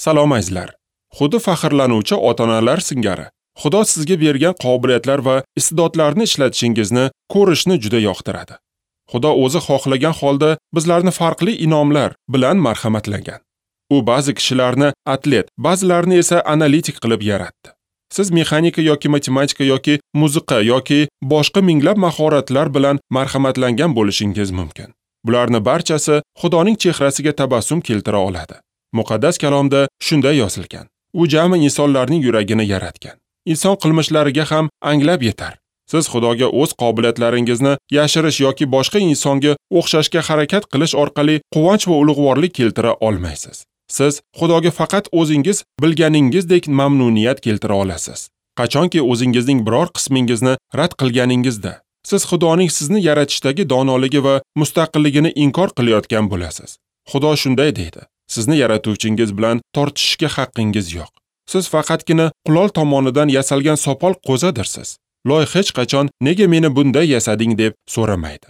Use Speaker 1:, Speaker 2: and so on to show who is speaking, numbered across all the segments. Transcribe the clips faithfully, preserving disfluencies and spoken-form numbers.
Speaker 1: Salom azizlar. Xuddi faxrlanuvchi ota-onalar singari Xudo sizga bergan qobiliyatlar va iste'dodlarni ishlatishingizni ko'rishni juda yoqtiradi. Xudo o'zi xohlagan holda bizlarni farqli inomlar bilan marhamatlagan. U ba'zi kishilarni atlet, ba'zilarini esa analitik qilib yaratdi. Siz mexanika yoki matematika yoki musiqa yoki boshqa minglab mahoratlar bilan marhamatlangan bo'lishingiz mumkin. Bularni barchasi Xudoning chehrasiga tabassum keltira oladi. Muqaddas kalomda shunday yozilgan: U jami insonlarning yuragini yaratgan. Inson qilmishlariga ham anglab yetar. Siz Xudoga o'z qobiliyatlaringizni yashirish yoki boshqa insonga o'xshashga harakat qilish orqali quvonch va ulug'vorlik keltira olmaysiz. Siz Xudoga faqat o'zingiz bilganingizdek mamnuniyat keltira olasiz. Qachonki o'zingizning biror qismingizni rad qilganingizda, siz Xudoning sizni yaratishdagi donoligi va mustaqilligini inkor qilayotgan bo'lasiz. Xudo shunday deydi: sizni yaratuvchingiz bilan tortishishga haqqingiz yo'q. Siz faqatgina qulol tomonidan yasalgan sopol qo'zadirsiz. Loy hech qachon nega meni bunday yasading deb so'ramaydi.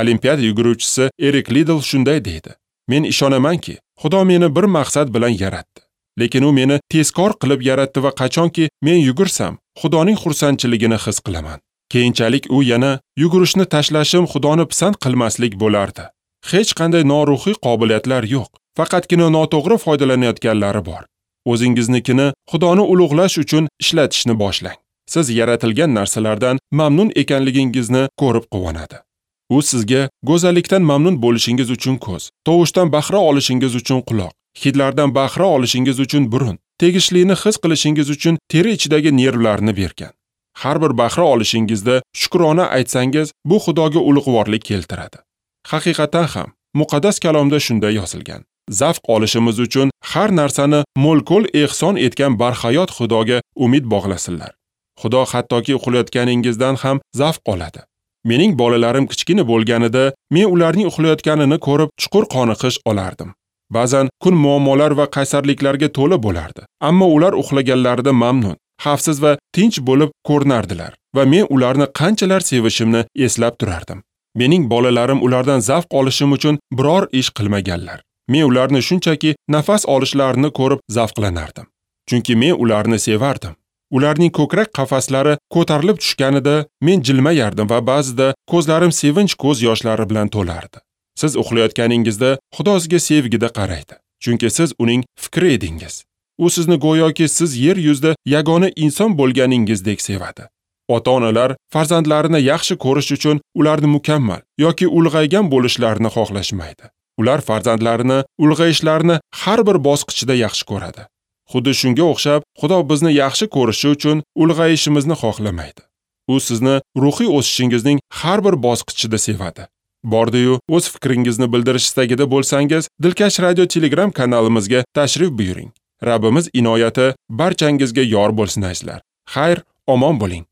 Speaker 1: Olimpiada yuguruvchisi Erik Lidl shunday deydi: Men ishonamanki, Xudo meni bir maqsad bilan yaratdi. Lekin u meni tezkor qilib yaratdi va qachonki men yugursam, Xudoning xursandchiligini his qilaman. Keyinchalik u yana yugurishni tashlashim Xudoni pisand qilmaslik bo'lardi. Hech qanday noruhiy qobiliyatlar yo'q, faqatgina noto'g'ri foydalanayotganlari bor. O'zingiznikini Xudoni ulug'lash uchun ishlatishni boshlang. Siz yaratilgan narsalardan mamnun ekanligingizni ko'rib quvonadi. U sizga go'zallikdan mamnun bo'lishingiz uchun ko'z, tovushdan bahra olishingiz uchun quloq, hidlardan bahra olishingiz uchun burun, tegishlini his qilishingiz uchun teri ichidagi nervlarni bergan. Har bir bahra olishingizda shukrona aytsangiz, bu Xudoga ulug'vorlik keltiradi. Haqiqatan ham muqaddas kalomda shunday yozilgan: Zavq olishimiz uchun har narsani mo'l-ko'l ehson etgan barhayot Xudoga umid bog'lasinlar. Xudo hattoki uxlayotganingizdan ham zavq oladi. Mening bolalarim kichkina bo'lganida men ularning uxlayotganini ko'rib chuqur qoniqish olardim. Ba'zan kun muammolar va qaysarliklarga to'la bo'lardi, ammo ular uxlaganlarida mamnun, xavfsiz va tinch bo'lib ko'rinardilar va men ularni qanchalar sevishimni eslab turardim. Mening bolalarim ulardan zavq olishim uchun biror ish qilmaganlar. Men ularni shunchaki nafas olishlarini ko'rib zavqlanardim. Chunki men ularni sevardim. Ularning ko'krak qafaslari ko'tarilib tushganida men jilmayardim va ba'zida ko'zlarim sevinch ko'z yoshlari bilan to'lardi. Siz uxlayotganingizda Xudo sizga sevgida qaraydi, chunki siz uning fikri edingiz. U sizni go'yoki siz yer yuzida yagona inson bo'lganingizdek sevadi. Ota-onalar farzandlarini yaxshi ko'rish uchun ularni mukammal yoki ulg'aygan bo'lishlarini xohlashmaydi. Ular farzandlarini ulg'ayishlarini har bir bosqichida yaxshi ko'radi. Xuddi shunga o'xshab, Xudo bizni yaxshi ko'rishi uchun ulg'ayishimizni xohlamaydi. U sizni ruhiy o'sishingizning har bir bosqichida sevadi. Bordi-yu, o'z fikringizni bildirish istagida bo'lsangiz, Dilkash Radio Telegram kanalimizga tashrif buyuring. Rabbimiz inoyati barchangizga yor bo'lsin azizlar. Xayr, omon bo'ling.